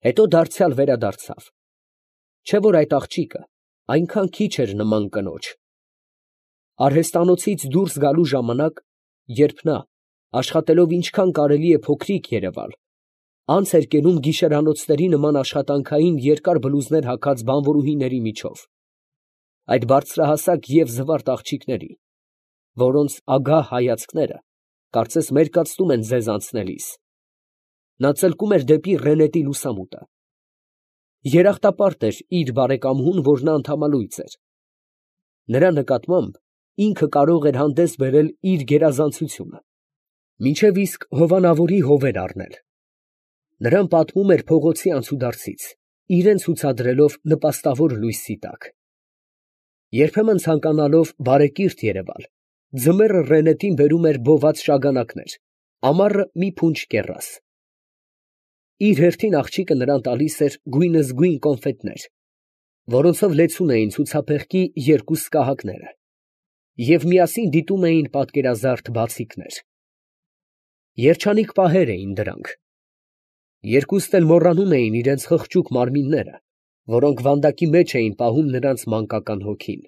Հետո դարձյալ վերադարձավ։ Չէ՞ որ այդ աղջիկը այնքան քիչ էր նման կնոջ։ Արհեստանոցից դուրս գալու ժամանակ, երբ նա, աշխատելով ինչքան կարելի է փոքրիկ երևալ, անց էր կենում գիշերանոցների նման աշխատանքային երկար բլուզներ հագած բանվորուհիների միջով, այդ բարձրահասակ և զվարթ աղջիկների, որոնց ագահ հայացքները կարծես մերկացնում են ձեզ անցնելիս, նա ծլկում էր դեպի Ռենետի լուսամուտը։ Երախտապարտ էր իր բարեկամուհուն, որ նա ընդամալույս էր։ Նրա նկատմամբ ինքը կարող էր հանդես բերել իր գերազանցությունը, մինչև իսկ հովանավորի հովեր առնել։ Նրան պատմում էր փողոցի անցուդարձից, իրան ցուցադրելով նպաստավոր լույսի տակ։ Երբեմն ցանկանալով բարեկիրթ երևալ, ձմեռը Ռենետին բերում էր բոված շագանակներ, ամառը մի փունջ կեռաս։ Իր հերթին աղջիկը նրան տալիս էր գույնզգույն կոնֆետներ, որոնցով լեցուն էին ցուցափեղկի երկու սկահակները, և միասին դիտում էին պատկերազարդ բացիկներ։ Երջանիկ պահեր էին դրանք։ Երկուստ էլ մոռանում էին իրենց խղճուկ մարմինները, որոնք վանդակի մեջ էին պահում նրանց մանկական հոգին։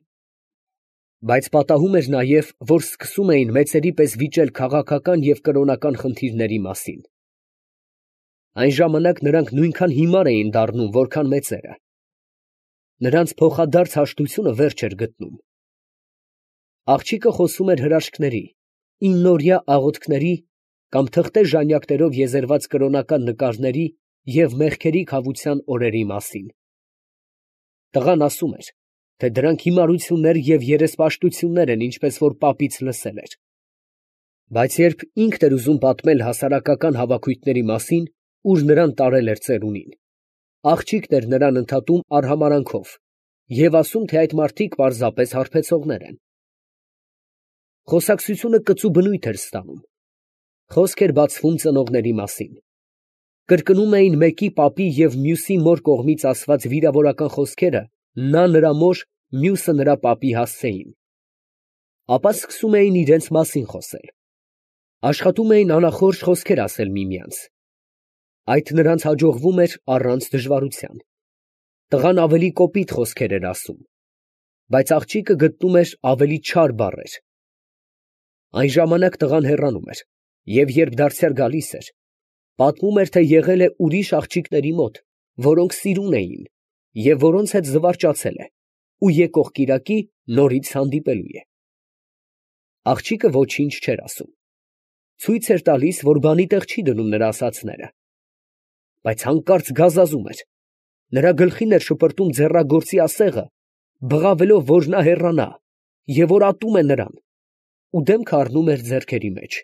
Բայց պատահում էր նաև, որ սկսում էին մեծերի պես վիճել քաղաքական և կրոնական խնդիրների մասին։ Այն ժամանակ նրանք նույնքան հիմար էին դառնում, որքան մեծերը։ Նրանց փոխադարձ հաշտությունը վերջ էր գտնում։ Աղջիկը խոսում էր հրաշքների, իննօրյա աղոթքների կամ թղթե ժանյակներով եզերված կրոնական նկարների և մեղքերի քավության օրերի մասին։ Տղան ասում էր, թե դրանք հիմարություններ և երեսպաշտություններ են, ինչպես որ պապից լսել էր։ Բայց երբ ինքն էր ուզում պատմել հասարակական հավաքույթների մասին, ուր նրան տարել էր ծերունին, աղջիկն էր նրան ընդհատում արհամարհանքով և ասում, թե այդ մարդիկ պարզապես հարբեցողներ են։ Խոսակցությունը կծու բնույթ էր ստանում։ Խոսք էր բացվում ծնողների մասին։ Կրկնում էին մեկի պապի և մյուսի մոր կողմից ասված վիրավորական խոսքերը նա նրա մոր, մյուսը նրա պապի հասցեին։ Ապա սկսում էին իրենց մասին խոսել։ Աշխատում էին անախորժ խոսքեր ասել միմյանց։ Այդ նրանց հաջողվում էր առանց դժվարության։ Տղան ավելի կոպիտ խոսքեր էր ասում, բայց աղջիկը գտնում էր ավելի չար բառեր։ Այն ժամանակ տղան հեռանում էր, և երբ դարձյալ գալիս էր, պատմում էր, թե եղել է ուրիշ աղջիկների մոտ, որոնք սիրուն էին և որոնց հետ զվարճացել է, ու եկող կիրակի նորից հանդիպելու է։ Աղջիկը ոչինչ չէր ասում։ Ցույց էր տալիս, որ բանի տեղ չի դնում նրա ասածները։ Բայց հանկարծ գազազում էր։ Նրա գլխին էր շպրտում ձեռագործի ասեղը, բղավելով, որ նա հեռանա, և որ ատում է նրան, ու դեմքը առնում էր ձեռքերի մեջ։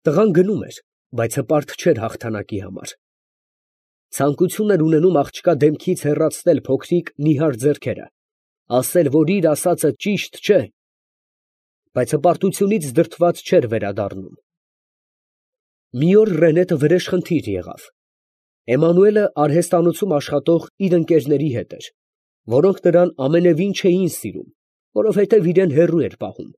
Տղան գնում էր, բայց հպարտ չէր հաղթանակի համար։ Ցանկություն էր ունենում աղջկա դեմքից հեռացնել փոքրիկ նիհար ձեռքերը, ասել, որ իր ասածը ճիշտ չէ, բայց հպարտությունից դրդված չէր վերադառնում։ Մի օր Ռենետը վրեժխնդիր եղավ։ Էմանուելը արհեստանոցում աշխատող իր ընկերների հետ էր, որոնք նրան ամենևին չէին սիրում, որովհետև իրան հեռու էր պահում,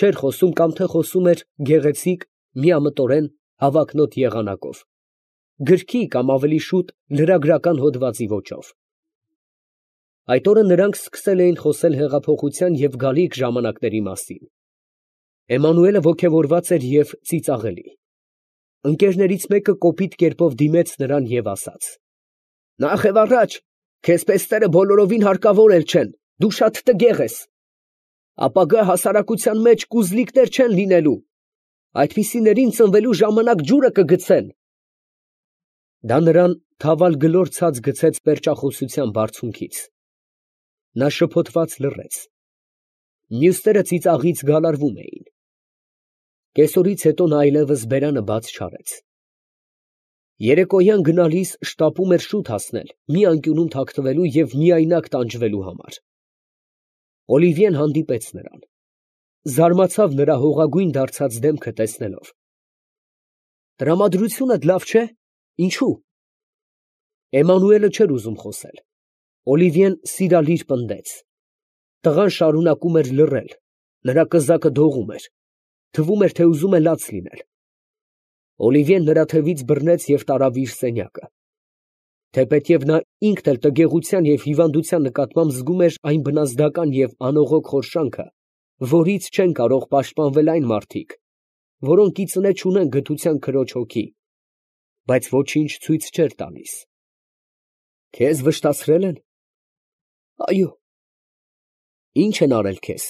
չէր խոսում կամ թե խոսում էր գեղեցիկ, միամտորեն, հավակնոտ եղանակով, գրքի կամ ավելի շուտ լրագրական հոդվածի ոճով։ Այդ օրը նրանք սկսել էին խոսել հեղափոխության և գալիք ժամանակների մասին։ Էմանուելը ոգևորված էր և ծիծաղելի։ Ընկերներից մեկը կոպիտ կերպով դիմեց նրան և ասաց. «Նախևառաջ, քեզ պես բոլորովին հարկավոր էլ չեն, դու շատ տգեղ ես։ Ապագա հասարակության մեջ կուզլիկներ չեն լինելու, այդպիսիներին ծնվելու ժամանակ ջուրը կգցեն»։ Դա նրան թավալ գլոր ցած գցեց պերճախոսության բարձունքից։ Նա շփոթված լռեց։ Մյուսները ծիծաղից գալարվում էին։ Կեսօրից հետո նա այլևս բերանը բաց չարեց։ Երեկոյան գնալիս շտապում էր շուտ հասնել մի անկյունում թաքնվելու և միայնակ տանջվելու համար։ Օլիվիեն հանդիպեց նրան։ Զարմացավ նրա հողագույն դարձած դեմքը տեսնելով։ «Տրամադրությունդ լավ չէ՞։ Ինչո՞ւ»։ Էմանուելը չէր ուզում խոսել։ Օլիվիեն սիրալիր պնդեց։ Տղան շարունակում էր լռել, նրա կզակը դողում էր, թվում էր, թե ուզում է լաց լինել։ Օլիվիեն նրա թևից բռնեց և տարավ իր սենյակը։ թեպետև նա ինքն էլ տգեղության և հիվանդության նկատմամբ զգում էր այն բնազդական և անողոք խորշանքը, որից չեն կարող պաշտպանվել այն մարդիկ, որոնք ի ծնե չունեն գթության քրոջ հոգի, բայց ոչինչ ցույց չէր տալիս։ Քեզ վշտացրե՞լ են։ Այո։ Ի՞նչ են արել քեզ։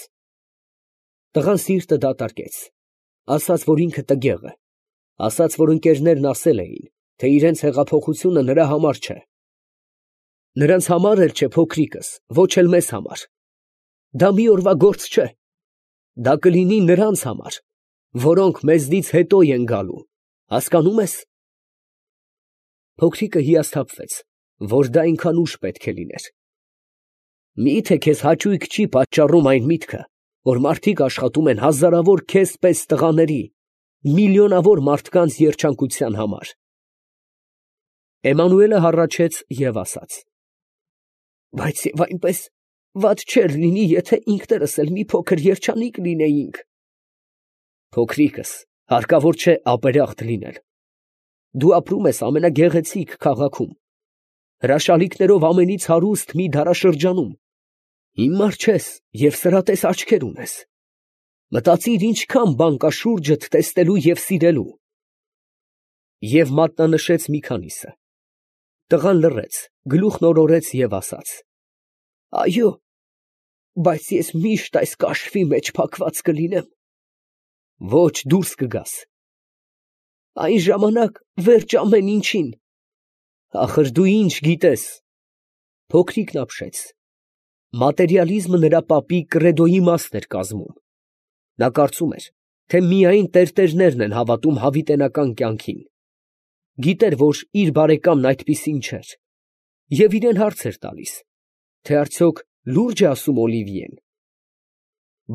Տղան սիրտը դատարկեց, ասաց, որ ինքը տգեղ է, ասաց, որ ընկերներն ասել էին, թե իրենց հեղափոխությունը նրա համար չէ։ Նրանց համար էլ չէ, փոքրիկս, ոչ էլ մեզ համար։ Դա մի օրվա գործ չէ։ Դա կլինի նրանց համար, որոնք մեզնից հետո են գալու, հասկանում ես։ Փոքրիկը հիասթափվեց, որ դա այնքան ուշ պետք է լիներ։ Մի՞թե քեզ հաճույք չի պատճառում այն միտքը, որ մարդիկ աշխատում են հազարավոր քեզ պես տղաների, միլիոնավոր մարդկանց երջանկության համար։ Էմանուելը հառաչեց և ասաց. Բայց և այնպես վատ չէր լինի, եթե ինքներս էլ մի փոքր երջանիկ լինեինք։ Փոքրիկս, հարկավոր չէ ապերախտ լինել։ Դու ապրում ես ամենագեղեցիկ քաղաքում, հրաշալիքներով ամենից հարուստ մի դարաշրջանում, հիմար չես և սրատես աչքեր ունես։ Մտածիր ինչքան բան կա շուրջդ տեսնելու և սիրելու։ Եվ մատնանշեց մի քանիսը։ Տղան լռեց, գլուխն օրորեց և ասաց. Այո, բայց ես միշտ այս կաշվի մեջ փակված կլինեմ։ Ոչ, դուրս կգաս։ Այն ժամանակ վերջ ամեն ինչին։ Ախր դու ինչ գիտես։ Փոքրիկն ապշեց։ Մատերիալիզմը նրա պապի կրեդոյի մասն էր կազմում։ Նա կարծում էր, թե միայն տերտերներն են հավատում հավիտենական կյանքին։ Գիտեր, որ իր բարեկամն այդպիսին չէր, և իրան հարց էր տալիս, թե արդյոք լուրջ է ասում Օլիվիեն։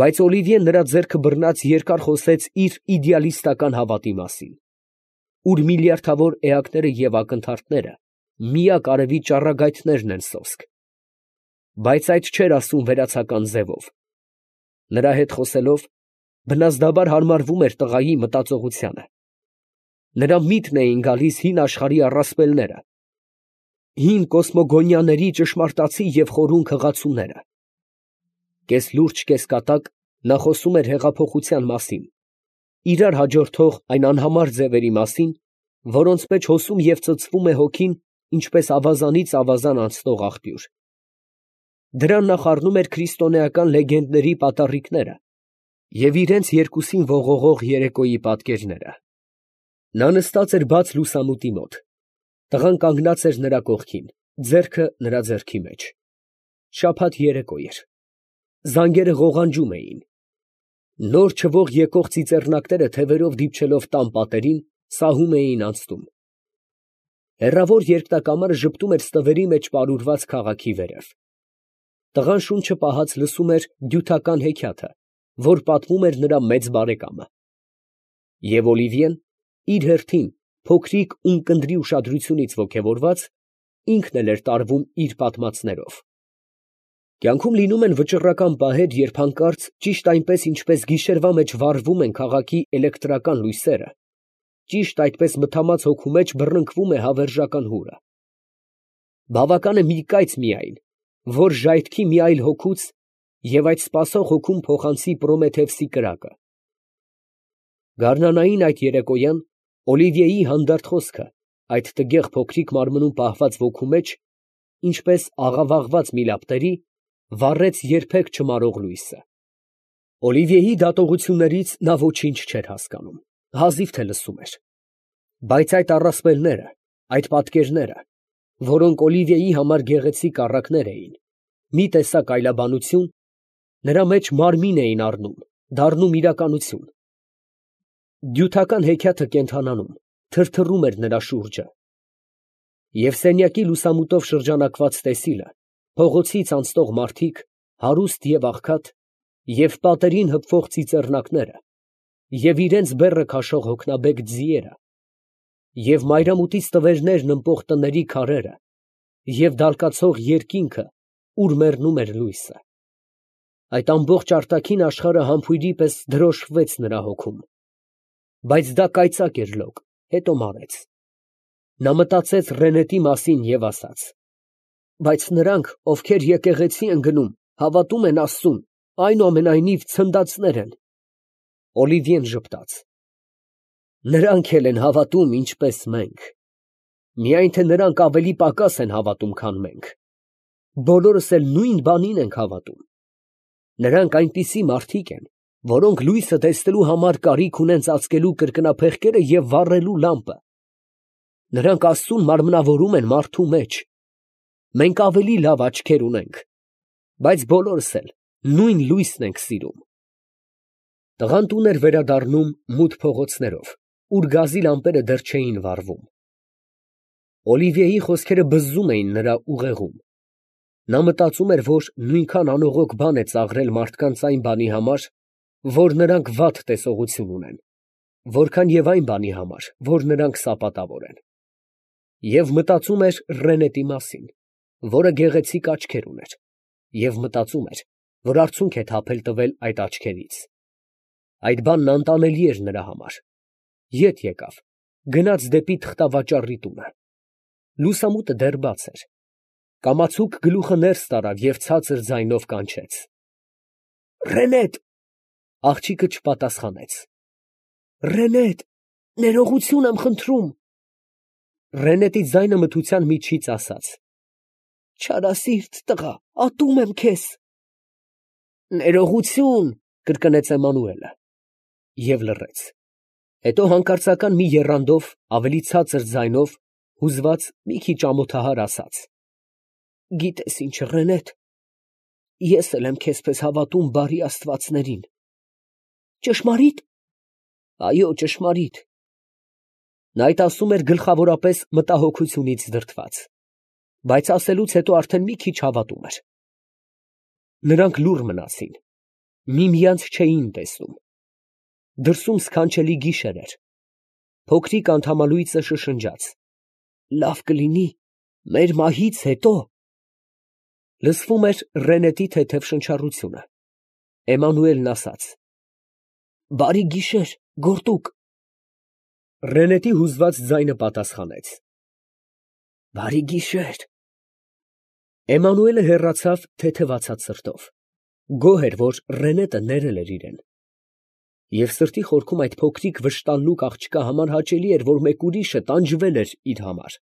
Բայց Օլիվիեն նրա ձեռքը բռնած երկար խոսեց իր իդեալիստական հավատի մասին, ուր միլիարդավոր էակները և ակնթարթները միակ արևի ճառագայթներն են սոսկ, բայց այդ չէր ասում վերացական ձևով։ Նրա հետ խոսելով, բնազդաբար հարմարվում էր տղայի մտածողությանը։ Նրա միտքն էին գալիս հին աշխարհի առասպելները, հին կոսմոգոնիաների ճշմարտացի և խորուն քղացումները։ Կես լուրջ, կես կատակ նա խոսում էր հեղափոխության մասին, իրար հաջորդող այն անհամար ձևերի մասին, որոնց մեջ հոսում և ծծվում է հոգին, ինչպես ավազանից ավազան անցնող աղբյուր։ Դրան նա խառնում էր քրիստոնեական լեգենդների պատառիկները և իրենց երկուսին ողողող երեկոյի պատկերները։ Նա նստած էր բաց լուսամուտի մոտ։ Տղան կանգնած էր նրա կողքին, ձեռքը նրա ձեռքի մեջ։ Շաբաթ երեկո էր։ Զանգերը ղողանջում էին։ Նոր չվող եկող ծիծեռնակները թևերով դիպչելով տան պատերին, սահում էին անցնում։ Հեռավոր երկնակամարը ժպտում էր ստվերի մեջ պարուրված քաղաքի վերև։ Տղան շունչը պահած լսում էր դյութական հեքիաթը, որ պատմում էր նրա մեծ բարեկամը։ Եվ Օլիվիեն, իր հերթին, փոքրիկ ունկնդրի ուշադրությունից ոգևորված, ինքն էլ էր տարվում իր պատմածներով։ Կյանքում լինում են վճռական պահեր, երբ հանկարծ, ճիշտ այնպես, ինչպես գիշերվա մեջ վառվում են քաղաքի էլեկտրական լույսերը, ճիշտ այդպես մթամած հոգու մեջ բռնկվում է հավերժական հուրը։ Բավական է մի կայծ միայն, որ ժայթքի մի այլ հոգուց և այդ սպասող հոգուն փոխանցի Պրոմեթևսի կրակը։ Գարնանային այդ երեկոյան Օլիվիեի հանդարտ խոսքը այդ տգեղ փոքրիկ մարմնում պահված ոգու մեջ, ինչպես աղավաղված միլապտերի, վառեց երբեք չմարող լույսը։ Օլիվիեի դատողություններից նա ոչինչ չէր հասկանում, հազիվ թե լսում էր։ Բայց այդ առասպելները, այդ պատկերները, որոնք Օլիվիեի համար գեղեցիկ առակներ էին, մի տեսակ այլաբանություն, նրա մեջ մարմին էին առնում, դառնում իրականություն։ Դյութական հեքիաթը կենդանանում, թրթռում էր նրա շուրջը։ Եվ սենյակի լուսամուտով շրջանակված տեսիլը, փողոցից անցնող մարդիկ, հարուստ և աղքատ, և պատերին հպվող ծիծեռնակները, և իրենց բեռը քաշող հոգնաբեկ ձիերը, և մայրամուտից տվերներն ըմպող տների քարերը, և դալկացող երկինքը, ուր մեռնում էր լույսը։ Այդ ամբողջ արտաքին աշխարհը համբույրի պես դրոշմվեց նրա հոգում։ Բայց դա կայծակ էր լոկ, հետո մարեց։ Նա մտածեց Ռենետի մասին և ասաց. բայց նրանք, ովքեր եկեղեցի են գնում, հավատում են Աստծուն, այնուամենայնիվ ցնդածներ են։ Օլիվիեն ժպտաց. նրանք էլ են հավատում, ինչպես մենք, միայն թե նրանք ավելի պակաս են հավատում, քան մենք։ Բոլորս էլ նույն բանին ենք հավատում։ Նրանք այնպիսի մարդիկ են, որոնք լույսը տեսնելու համար կարիք ունեն ծածկելու կրկնափեղկերը և վառելու լամպը։ Նրանք Աստծուն մարմնավորում են մարդու մեջ։ Մենք ավելի լավ աչքեր ունենք, բայց բոլորս էլ նույն լույսն ենք սիրում։ Տղան տուն էր վերադառնում մութ փողոցներով, ուր գազի լամպերը դեռ չէին վառվում։ Օլիվիեի խոսքերը բզզում էին նրա ուղեղում։ Նա մտածում էր, որ նույնքան անողոք բան է ծաղրել մարդկանց այն բանի համար, որ նրանք վատ տեսողություն ունեն, որքան և այն բանի համար, որ նրանք սապատավոր են։ Եվ մտածում էր Ռենետի մասին, որը գեղեցիկ աչքեր ուներ, և մտածում էր, որ արցունք է թափել տվել այդ աչքերից։ Այդ բանն անտանելի էր նրա համար։ Ետ եկավ, գնաց դեպի թղթավաճառի տունը։ Լուսամուտը դեռ բաց էր։ Կամացուկ գլուխը ներս տարավ և ցածր ձայնով կանչեց. «Ռենետ»։ Աղջիկը չպատասխանեց։ «Ռենետ, ներողություն եմ խնդրում»։ Ռենետի ձայնը մթության միջից ասաց. «Չարասիրտ տղա, ատում եմ քեզ»։ «Ներողություն», կրկնեց Էմանուելը և լռեց։ Հետո հանկարծական մի եռանդով, ավելի ցածր ձայնով, հուզված մի քիչ ամոթահար ասաց. «Գիտես ինչ, Ռենետ, ես էլ եմ քեզպես հավատում բարի աստվածներին»։ «Ճշմարի՞տ»։ «Այո, ճշմարիտ»։ Նա այդ ասում էր գլխավորապես մտահոգությունից դրդված, բայց ասելուց հետո արդեն մի քիչ հավատում էր։ Նրանք լուռ մնացին, միմյանց չէին տեսնում։ Դրսում սքանչելի գիշեր էր։ Փոքրիկ անդամալույսը շշնջաց. «Լավ կլինի մեր մահից հետո»։ Լսվում էր Ռենետի թեթև շնչառությունը։ Էմանուելն ասաց. «Բարի գիշեր, գորտուկ»։ Ռենետի հուզված ձայնը պատասխանեց. «Բարի գիշեր»։ Էմանուելը հեռացավ թեթևացած սրտով։ Գոհ էր, որ Ռենետը ներել էր իրեն։ Եվ սրտի խորքում այդ փոքրիկ վշտանլուկ աղջկա համար հաճելի էր, որ մեկ ուրիշը տանջվել էր իր համար։